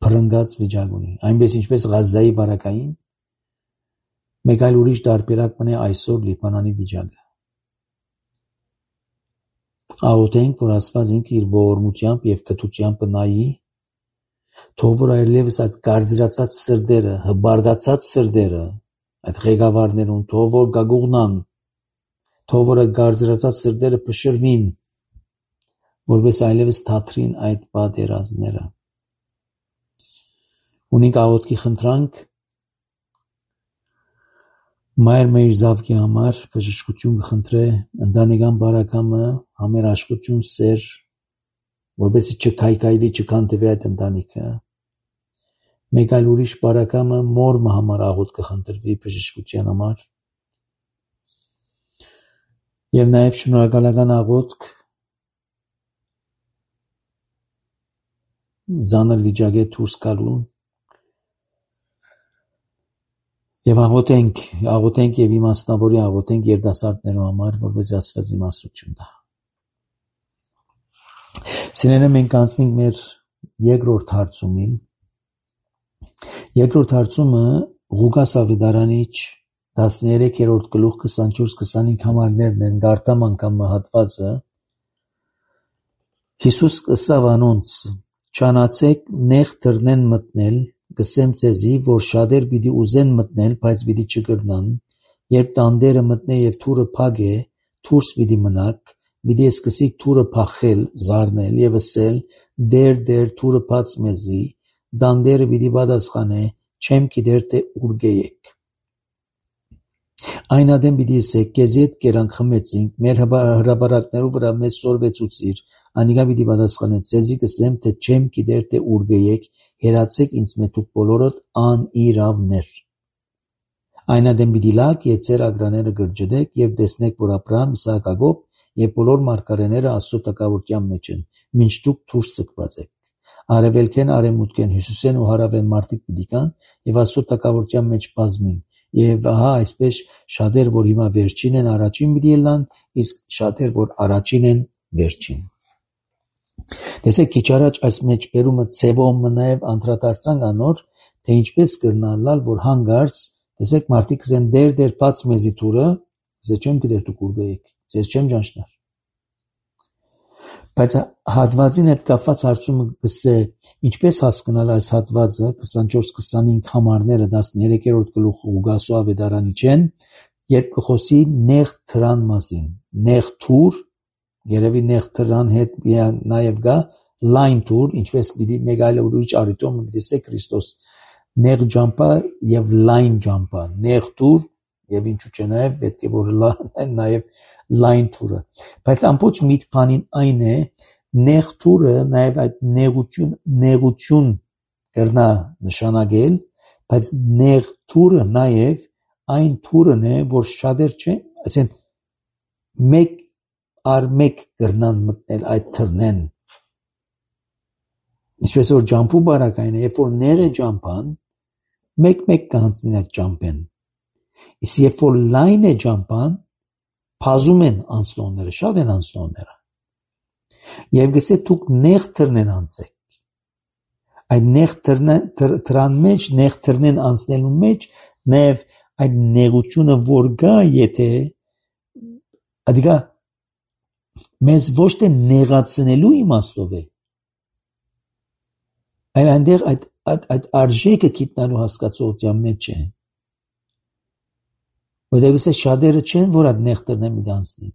փրկած վիճակ ունի, այնպես ինչպես Ղազայի վարակային, մեկ այլ ուրիշ տարբերակ մնե այսօր Լիբանանի վիճակը։ Աղոթենք, որ Աստված ինքը իր ողորմությամբ եւ կթությամբ նայի, թող որ այլևս այդ գարձրացած սրտերը, հբարդացած սրտերը, այդ ղեկավարներուն թող որ գագուղնան, թող որ այդ գարձրացած սրտերը փշրվին, որպես այլևս թատրին այդ պատերազմները։ Ունենք աղոթքի խնդրանք Մայր մեր զավքի համար բժշկություն կխնդրե, ընտանեկան բարակամը, համերաշխություն, սեր, որպեսզի չքայքայվի, չքանդվի այդ ընտանիքը։ Մեկ այլ ուրիշ բարակամը մորմը համար աղոթք կխնդրվի բժշկության համար։ Եվ նաև շնորհակալական աղոթք ծանր վիճակի դուրս գալուն։ Եվ աղոթենք եւ իմաստնավորի աղոթենք երիտասարդներու համար, որպեսզի Աստված իմաստություն տա։ Սիրելիներ, մենք անցնենք մեր երկրորդ հարցումին։ Երկրորդ հարցումը Ղուկաս ավետարանիչ 13-րդ գլուխ 24-25 համարներն են, գարտամ անգամ հատվածը։ Հիսուս ըսավ անոնց. «Չանացեք նեղ դռնեն մտնել, գսեմ ձեզի, որ շատեր պիտի ուզեն մտնել, բայց պիտի չկրնան, երբ տանտերը մտնե եւ թուրը փագե, դուրս պիտի մնաք, պիտի սկսիկ թուրը փախել, զարնել եւ ասել. դեր թուրը բաց մեզի, տանտերը պիտի պատասխանե, չեմ գիտեր թե ուր գեյեք։ Այն ադեմ պիտի ասեք, քեզի հետ կերանք խմեցինք, մեր հրապարակներու վրա մեզ սորվեցուցիր, անիկա պիտի պատասխանե, ձեզի կսեմ, թե չեմ գիտեր թե ուր գեյեք, հերացեք ինձ մե դուք բոլորդ անիրավներ։ Այն ադեմ պիտի լաք եւ ձեր ագրաները գրջդեք եւ տեսնեք, որ Աբրահամ, Իսահակ, Հակոբ եւ բոլոր մարգարեները Աստծո տակավորության մեջ են, մինչ դուք դուրս ցկված եք։ արևելքեն, արևմուտքեն, հյուսիսեն ու հարավեն մարդիկ պիտի կան եւ Աստծո տակավորության մեջ բազմին։ Եվ ահա այսպես շատեր, որ հիմա վերջին են, առաջին պիտի ելան, իսկ շատեր, որ առաջին են, վերջին։ Տեսեք, քիչ առաջ այս մեջբերումը ցևոմը նաև անդրադարձանք անոր, թե ինչպես կրնալալ, որ հանգարց, տեսեք, մարդիկ կսեն դեր բաց մեզի թուրը, ձեզ չեմ գիտեր դուք ուր գայիք, ձեզ չեմ ճանչնար։ Բայց հատվածին հետ կապված հարցումը գսե, ինչպես հասկանալ այս հատվածը 24-25 համարները 13-րդ գլուխը Ղուգասու ավետարանիչեն, երբ կխոսի նեղ թրան մասին, նեղ թուր, երևի նեղ թրան հետ նաև գա լայն թուր, ինչպես պիտի մեկ այլ ուրիշ առիթով պիտի սե Քրիստոս նեղ ջամպա եւ լայն ջամպա, նեղ թուր եւ ինչու՞ չէ նաև պետք է որ նաև լայն թուրը։ Բայց ամբողջ միտքանին այն է, նեղ թուրը նաև այդ նեղություն կրնա նշանակել, բայց նեղ թուրը նաև այն թուրն է, որ շատեր չէ, ասեն մեկ առ մեկ կրնան մտնել այդ թրնեն։ Ինչպես որ ջամփու բարակային է, երբ որ նեղ է ջամփան, մեկ կանցնի այդ ջամփեն։ Իսկ երբ որ լայն է ջամփան, փազում են անցնողները, շատ են անցնողները։ Եվ գսե դուք նեղ թրնեն անցեք։ Այդ նեղ թրան մեջ, նեղ թրնեն անցնելու մեջ, նաև այդ նեղությունը որ գա, եթե ադիգա մեզ ոչ թե նեղացնելու իմաստով է, այլ այնտեղ այդ արժեքը գիտնալու հասկացողության մեջ է։ Որտեղ գսե շատերը չեն, որ այդ նեղ թրնեն մի անցնեն։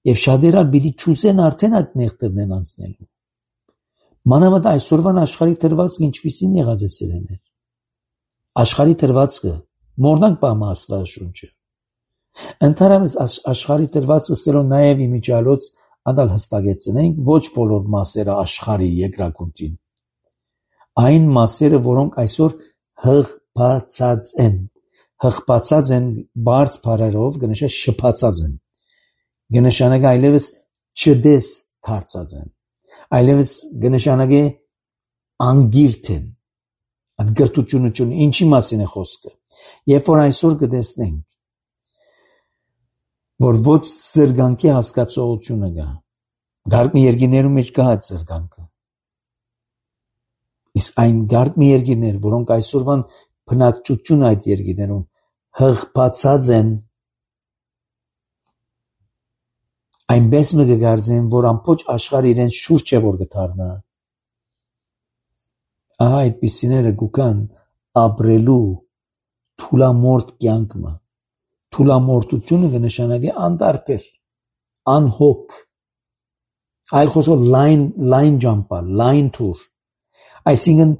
Եվ շատերը պիտի ճուզեն արդեն այդ նեղ թրնեն անցնելու։ Մանավանդ այսօրվան աշխարհի դրվածքը ինչպիսին եղած է սերեներ։ Աշխարհի դրվածքը մորնանք բամա Աստվածաշունչը։ Ընդհանրապես աշխարհի դրվածքը սերո նաև իմիջալոց անդալ հստակեցնենք ոչ բոլոր մասերը աշխարհի երկրագնդին։ Այն մասերը, որոնք այսօր հղբացած են բարձ բառերով գնշե շփացած են։ Գնշանակը այլևս չդես դարձած են։ Այլևս գնշանակե անգիրտ են։ Այդ գրթությունը ինչի մասին է խոսքը։ Երբ որ այսօր կտեսնենք, որ ոչ զրկանքի հասկացողությունը կա, գարկ մի երկիներում մեջ կա այդ զրկանքը։ Իսկ այն գարկ մի երկիներ, որոնք այսօրվան բնակչություն այդ երկիներում հղբացած են, այնպես մը կգարձեն, որ ամբողջ աշխարհը իրենց շուրջ է որ կդառնա։ Ահա այդպիսիները գուկան ապրելու թուլամորտ կյանքը։ Թուլամորտությունը կնշանակի անտարբեր, անհոգ, այլ խոսքով լայն ջամպա, լայն թուր։ Այսինքն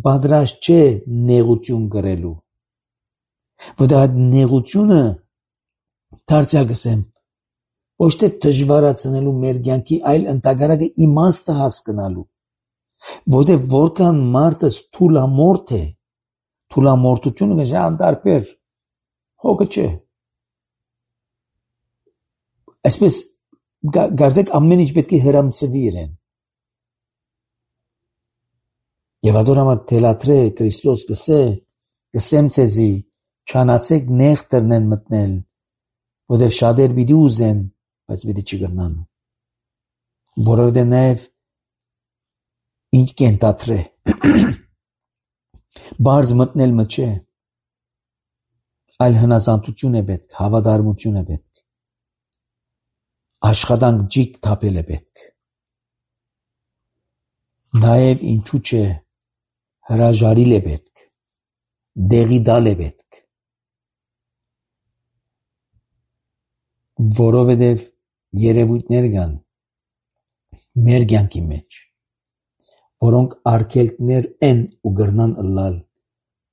պատրաստ չէ նեղություն կրելու։ Որտեղ այդ նեղությունը դարձյալ կսեմ ոչ թե դժվարացնելու մեր կյանքի, այլ ընդհանրակը իմաստը հասկանալու։ Որտեղ որքան մարդը թուլամորտ է, թուլամորտությունը կժա անտարբեր, հոգը չէ։ Այսպես գարձեք ամեն ինչ պետք է հրամցվի իրեն։ Եվ ադորամար թելատրե Քրիստոս կսեմ ցեզի, չանացեք նեղ տրնեն մտնել, որտեղ շատեր պիտի ուզեն, բայց պիտի չգնան։ Որովհետև նաև ինչ կենտատրե։ Բարձ մտնել մը չէ, այլ հնազանդություն է պետք, հավատարմություն է պետք, աշխատանք ջիկ թափել է պետք։ Նաև ինչու չէ, հրաժարիլ է պետք, դեղի դալ է պետք, որովհետև երևույթներ կան մեր կյանքի մեջ, որոնք արգելքներ են ու գրնան ըլլալ,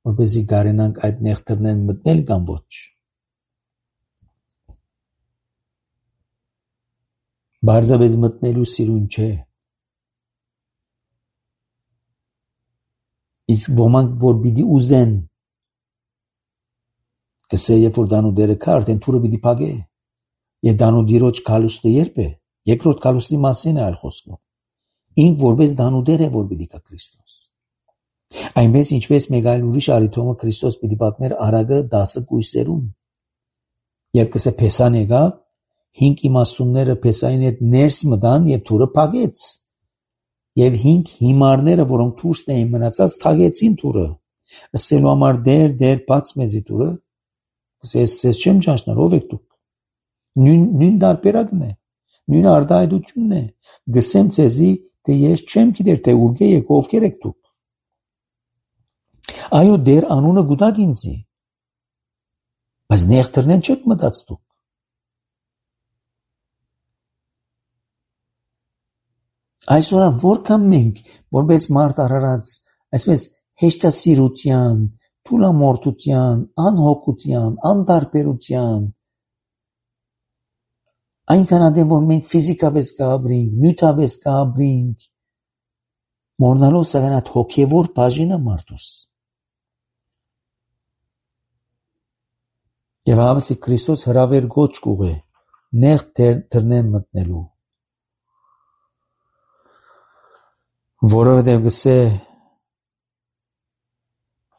որպեսզի կարենանք այդ նեղթրներն մտնել կամ ոչ։ Բարձրապես մտնելու սիրուն չէ։ Իսկ ոմանք որ պիտի ուզեն, կսե երբ որ դանու դերը կա, արդեն թուրը պիտի փակե։ Եվ դանու դիրոջ քալուստը երբ է, երկրորդ քալուստի մասին է այլ խոսքով։ ինք որպես դանուդեր է, որ պիտի կա Քրիստոս։ Այնպես ինչպես մեկ այլ ուրիշ արիթոմը Քրիստոս պիտի պատմեր արագը 10 կույսերում։ Երբ կսե Փեսան եկավ, 5 իմաստունները Փեսային հետ ներս մտան եւ թուրը փակեց։ Եվ 5 հիմարները, որոնք դուրսն էին մնացած, թագեցին թուրը։ Ասելու համար դեր բաց մեզի թուրը։ Ես չեմ ճանաչներ, ով եք դուք։ Նույն դարբերակն է, նույն արտահայտությունն է։ Գսեմ ցեզի, թե ես չեմ գիտեր, թե ուր եք, ովքեր եք դուք։ Այո, դեր անունը գուտակ ինձի, բայց նեղտրնեն չեք մտած դուք։ Այսօր որքան մենք, որպես մարդ արարած, այսպես հեշտասիրության, թուլամորթության, անհոգության, անտարբերության, այնքան ադեմ, որ մենք ֆիզիկապես կապրինք, նյութապես կապրինք, մորնալով սակայն այդ հոգևոր բաժինը մարդուս։ Եվ հավասի Քրիստոս հրավեր գոչ կուղե, նեղ թրնեն մտնելու։ Որովհետև գսե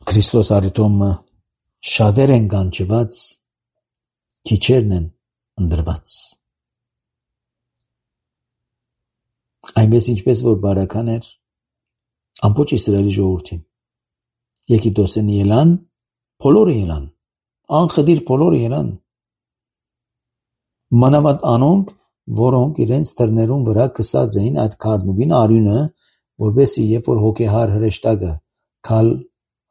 Քրիստոս արիթոմը շատեր են կանչված, քիչերն են ընդրված։ Այնպես ինչպես որ բարական էր ամբողջ Իսրայելի ժողովրդին։ Եգիպտոսեն ելան, բոլորը ելան, անխդիր բոլորը ելան։ Մանավանդ անոնք, որոնք իրենց դռներուն վրա կսած էին այդ քարնուբին արյունը, որովհետեւ երբ որ հոգեհար հրեշտակը քալ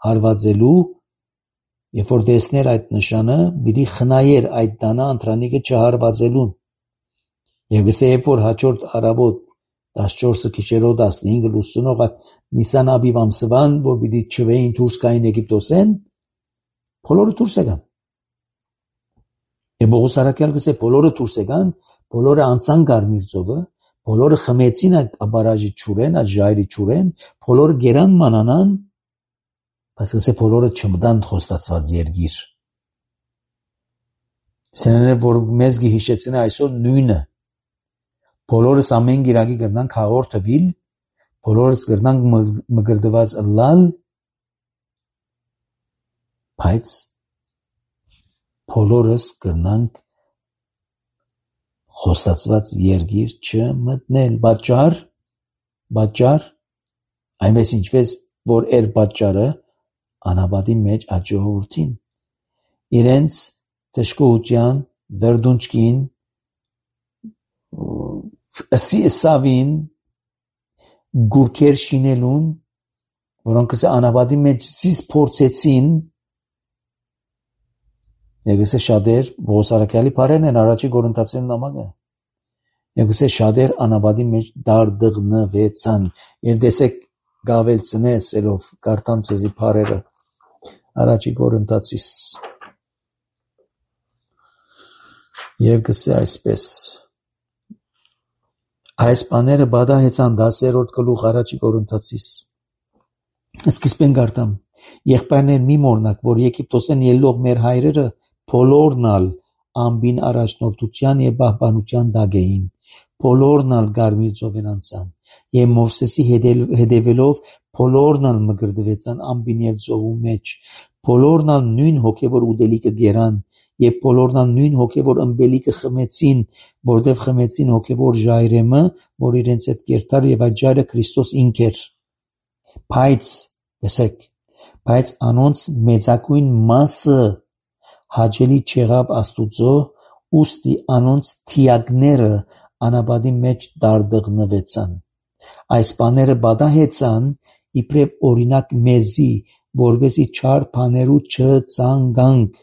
հարվածելու, երբ որ տեսներ այդ նշանը, պիտի խնայեր այդ տանը ընտրանիկը չհարվածելուն։ Եվ գսե երբ որ հաջորդ առավոտ 14 քիչերով 15 լուսնող այդ Նիսան Աբիբ ամսվան, որ պիտի չվեին դուրս գային Եգիպտոսեն, բոլորը դուրս եկան։ Եվ Պողոս առաքյալ գսե բոլորը դուրս եկան, բոլորը անցան Կարմիր ծովը, բոլորը խմեցին այդ աբարաժի ճուրեն, այդ ժայռի ճուրեն, բոլորը գերան մանանան, բայց գսե բոլորը չմտան խոստացված երկիր։ Սեները որ մեզ գիհիշեցին այսօր նույնը։ Բոլորս ամեն գիրակի գրնանք հաղորդվել, բոլորս գրնանք մգրդված լալ, բայց բոլորս գրնանք խոստացված երկիր չմտնել։ Պատճառ, այնպես ինչպես որ էր պատճառը անաբադի մեջ այդ ժողովրդին։ Իրենց թշկողության, դրդունջքին, սավին, գուրքեր շինելուն, որոնք անաբադի մեջ զիս փորձեցին, Եգսե շատեր Պողոս առաքյալի բարերն են առաջի Կորինթացին նամակը։ Եգսե շատեր անաբադի մեջ դարդղնվեցան։ Եվ տեսեք գավելցնես ելով կարդամ ցեզի բարերը առաջի Կորինթացիս։ Եվ գսե այսպես. Այս բաները բադահեցան 10-րդ գլուխ առաջի Կորինթացիս։ Սկիզբեն կարդամ. Եղբայրներ մի մոռնաք, որ Եգիպտոսեն ելող մեր հայրերը բոլորն ալ ամբին առաջնորդության եւ պահպանության տակ էին, բոլորն ալ Կարմիր ծովեն անցան եւ Մովսեսի հետևելով բոլորն ալ մգրդվեցան ամբին եւ ծովու մեջ, բոլորն ալ նույն հոգեվոր ուտելիքը գերան եւ բոլորն ալ նույն հոգեվոր ըմբելիքը խմեցին, որտեղ խմեցին հոգեվոր ժայռեմը, որ իրենց հետ կերտար եւ այդ ժայռը Քրիստոս ինք էր։ Բայց անոնց մեծակույն մասը հաճելի չեղավ Աստուծո, ուստի անոնց թիակները անաբադի մեջ դարդղնվեցան։ Այս բաները բադահեցան իբրև օրինակ մեզի, որպեսզի չար բաներու չցանկանք,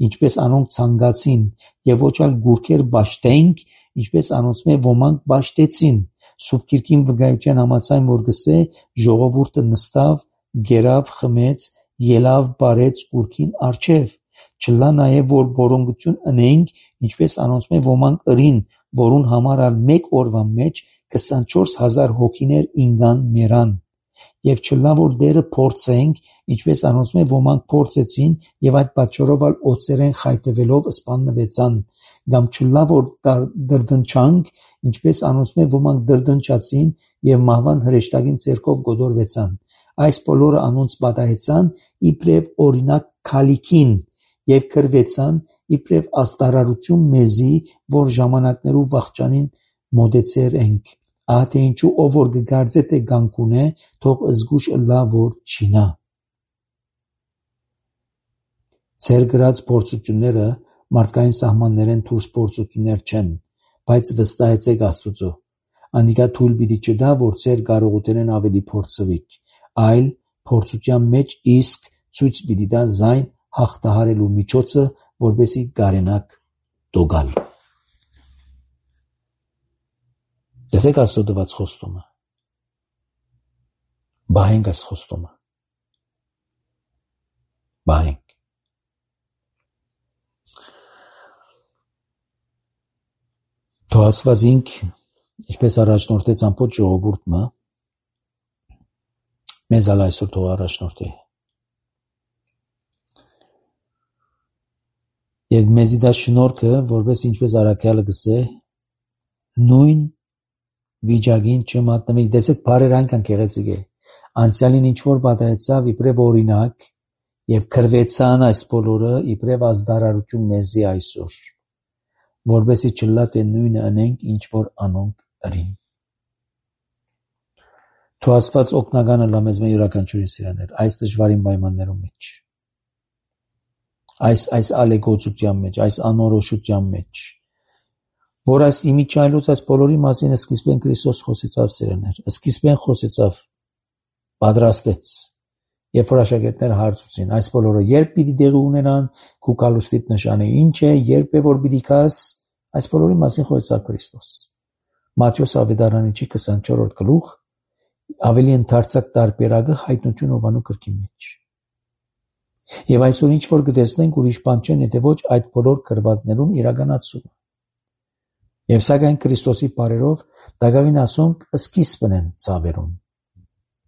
ինչպես անոնք ցանկացին, եւ ոչ այլ գուրքեր բաշտենք, ինչպես անոնց մե ոմանք բաշտեցին։ Սուրբ Գիրքին վկայության համաձայն որ գսե ժողովուրդը նստավ, գերավ, խմեց, ելավ, բարեց գուրքին առջև։ Չլա նաև որ բորոնգություն ընենք, ինչպես անոնց մե ոմանք ըրին, որուն համար ալ մեկ օրվա մեջ 24,000 հոգիներ ինգան մերան։ եւ չլա որ դերը փորձենք, ինչպես անոնցմե ոմանք փորձեցին եւ այդ պատճառով ալ օծերեն խայտվելով սպաննվեցան, կամ չլա որ դրդնչանք, ինչպես անոնցմե ոմանք դրդնչացին եւ մահվան հրեշտակին ցերկով գոդորվեցան։ Այս բոլորը անոնց պատահեցան իբրև օրինակ քալիքին եւ կրվեցան իբրև աստարարություն մեզի, որ ժամանակներու վախճանին մոդեցեր ենք։ Ահա թե ինչու ով որ կգարձե թե գանկուն է, թող զգուշ ըլլա որ չինա։ Ձեր գրած փորձությունները մարդկային սահմաններեն դուրս փորձություններ չեն, բայց վստահեցեք Աստուծո։ Անիկա թույլ պիտի չտա, որ ձեր կարողութենեն ավելի փորձվիք, այլ փորձության մեջ իսկ ցույց պիտի տա զայն հաղթահարելու միջոցը, որպեսզի կարենաք դոգալ։ Տեսեք Աստծո տված խոստումը։ Բահենք այս խոստումը։ Բահենք։ Թող Աստված ինք, ինչպես առաջնորդեց ամբողջ ժողովուրդը, մեզ ալ այսօր թող առաջնորդի։ Եվ մեզի դա շնորհքը, որպես ինչպես Առաքյալը գսե, նույն վիճակին չմատնվի։ Տեսեք, բարեր այնքան գեղեցիկ է։ Անցյալին ինչ որ պատահեցավ իբրև օրինակ եւ քրվեցան այս բոլորը իբրև ազդարարություն մեզի այսօր, որպեսզի չլա թե նույնը անենք, ինչ որ անոնք ըրին։ Թող Աստված օգնականը լա մեզ յուրաքանչյուրին սիրաներ այս դժվարին պայմաններում մեջ, այս ալեգոցության մեջ, այս անորոշության մեջ, որ այս իմիջայլոց այս բոլորի մասին սկիզբեն Քրիստոս խոսեցավ սիրաներ, սկիզբեն խոսեցավ, պատրաստեց, երբ որ աշակերտները հարցուցին, այս բոլորը երբ պիտի տեղի ունենան, քու կալուստիդ նշանը ինչ է, երբ է որ պիտի կաս, այս բոլորի մասին խոսեցավ Քրիստոս։ Մատթեոս ավետարանիչի 24-րդ գլուխ ավելի ընդարձակ տարբերակը հայտնություն Հովհաննես գրքի մեջ։ Եվ այսօր ինչ որ կտեսնենք ուրիշ բան չեն, եթե ոչ այդ բոլոր գրվածներուն իրականացումը։ Եվ սակայն Քրիստոսի բարերով դակավին ասոնք սկիզբն են ցավերուն։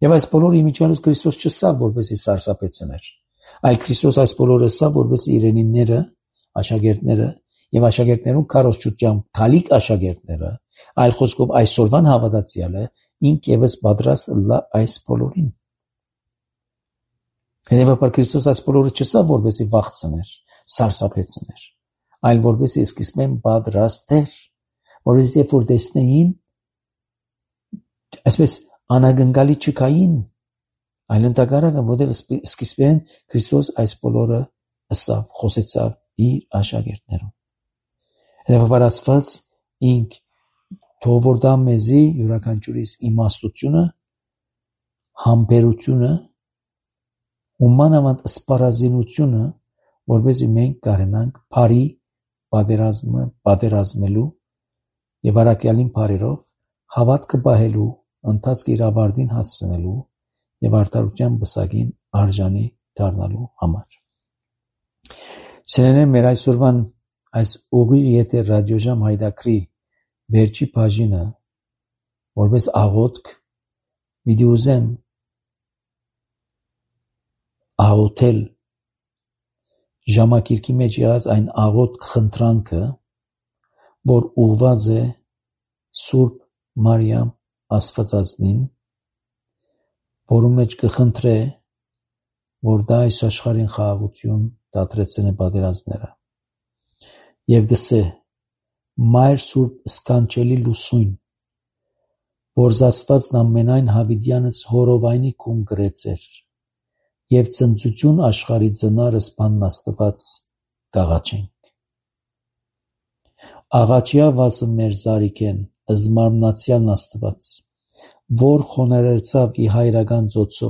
Եվ այս բոլոր իմիջիալից Քրիստոս չսավ, որպեսզի սարսափեցներ, այլ Քրիստոս այս բոլորը սավ, որպեսզի իրենիները, աշակերտները եւ աշակերտներուն քարոզչությամբ քալիք աշակերտները, այլ խոսքով այսօրվան հավատացյալը ինք եւս պատրաստ լա այս բոլորին։ Հետևաբար Քրիստոս այս բոլորը չսավ, որպեսզի վախցներ, սարսափեցներ, այլ որպեսզի սկիզբեն պատրաստեր, որպեսզի երբ որ տեսնեին, այսպես անագնկալի չկային, այլ ընդհակառակը, որտեղ սկիզբեն Քրիստոս այս բոլորը ըսավ, խոսեցավ իր աշակերտներուն։ Հետևաբար Աստված ինք թող որ դա մեզի յուրաքանչյուրիս իմաստությունը, համբերությունը, ու մանավանդ սպառազինությունը, որպեսզի մենք կարենանք բարի պատերազմելու եւ առաքյալին բարերով հավատքը պահելու, ընթացքը իր ավարտին հասցնելու եւ արդարության բսակին արժանի դառնալու համար։ Սիրելիներ, մեր այսօրվան այս ուղիղ եթեր ռադիոժամ հայտակրի վերջի բաժինը, որպես աղոթք, պիտի ուզեմ աղոթել ժամակիրքի մեջ եղած այն աղոթք խնդրանքը, որ ուղված է Սուրբ Մարիամ Աստվածածնին, որում մեջ կխնդրե, որ դա այս աշխարհին խաղաղություն դադրեցնե պատերազմները, եւ գսե Մայր Սուրբ սկանչելի լուսույն, որ զասվածն ամենայն հավիդյանս հորովայնի կում գրեցեր, եւ ծնծություն աշխարհի ծնարս բաննաստված կաղաչենք։ Աղաչյա վասը մեր զարիքեն, ըզմարմնացյալն Աստված, որ խոներեցավ ի հայրական ծոցո,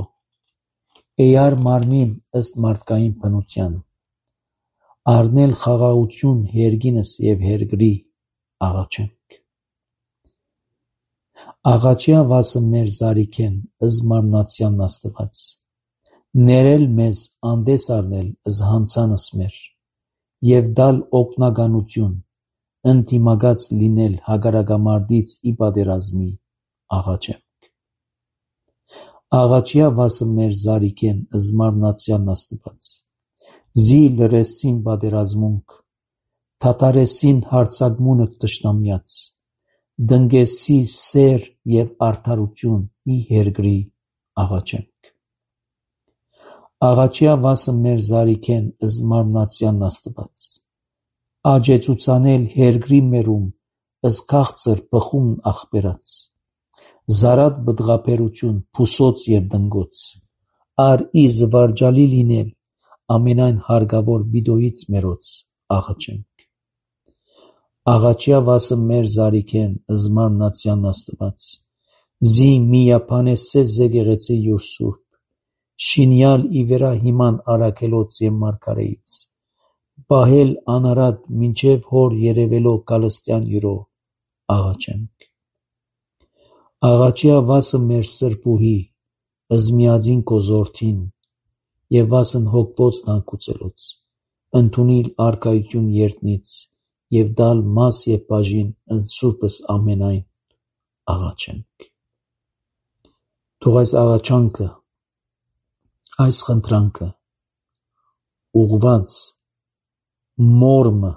էյար մարմին ըստ մարդկային բնության, առնել խաղաղություն հերգինս եւ հերգրի աղաչենք։ Աղաչյա վասը մեր զարիքեն, ըզմարմնացյալն Աստված, ներել մեզ անդես առնել զհանցանս մեր, եւ դալ օգնականություն, ընդդիմակաց լինել հակառակամարտից ի պատերազմի աղաչենք։ Աղաչյա վասը մեր զարիքեն զմարմնացյան աստված, զի լրեսին բادرազմունք, թատարեսին հարցագմունը տշնամյաց, դնգեսի սեր և արդարություն ի հերգրի աղաչենք։ Աղաչյա վասը մեր զարիքեն զմարմնացյան աստված, աջեցուցանել հերգրի մերում ըսքաղցր պխումն աղբերած, զարատ բդղապերություն փուսոց և դնգոց, ար ի զվարջալի լինել ամենայն հարգավոր բիդոյից մերոց աղաչենք։ Աղաչյա վասը մեր զարիքեն զմարմնացյան աստված, զի միապանեսե զեկեղեցի յուր սուրբ, շինյալ ի վերա հիման արաքելոց և մարգարեից, պահել անարատ մինչև հոր երևելով կալստյան յուրո աղաչենք։ Աղաչյա վասը մեր սրբուհի, ըզմիածին կոզորդին և վասն հոգվոց թանկուցելոց, ընդունիլ արկայություն երդնից և դալ մաս և բաժին ընդ սուրբս ամենայն աղաչենք։ Թող այս աղաչանքը, այս խնդրանքը ուղղված մորմը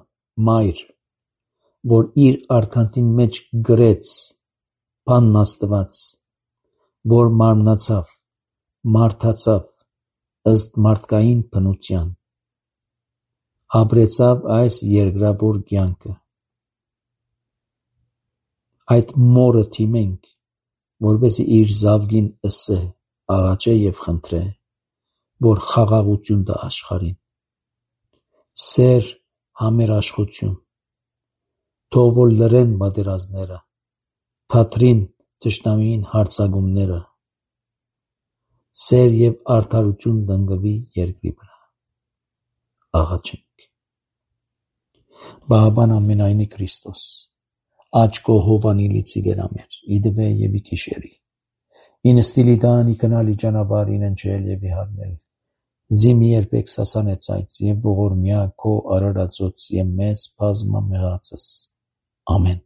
մայր, որ իր արքանտի մեջ գրեց բանն Աստված, որ մարմնացավ, մարդացավ ըստ մարդկային բնության, ապրեցավ այս երկրավոր կյանքը, այդ մորը թիմենք, որպեսզի իր զավգին ըսե, աղաչե և խնդրե, որ խաղաղություն տա աշխարհին, սեր, համերաշխություն, թող որ լռեն պատերազմները, թատրին թշնամիին հարձակումները, սեր և արդարություն տնկվի երկրի վրա։ Աղաչենք։ Բահաբան ամենայնի Քրիստոս, աջ քո հովանիլի ծիգերամեր, իդվե և ի կիշերի, ինստիլի տան ի կնալի ճանապարհ իննջել և ի հարնել, զի մի երբեք սասանեցայց և ողորմյա քո արարածոց և մեզ բազմա մեղածս։ Ամեն։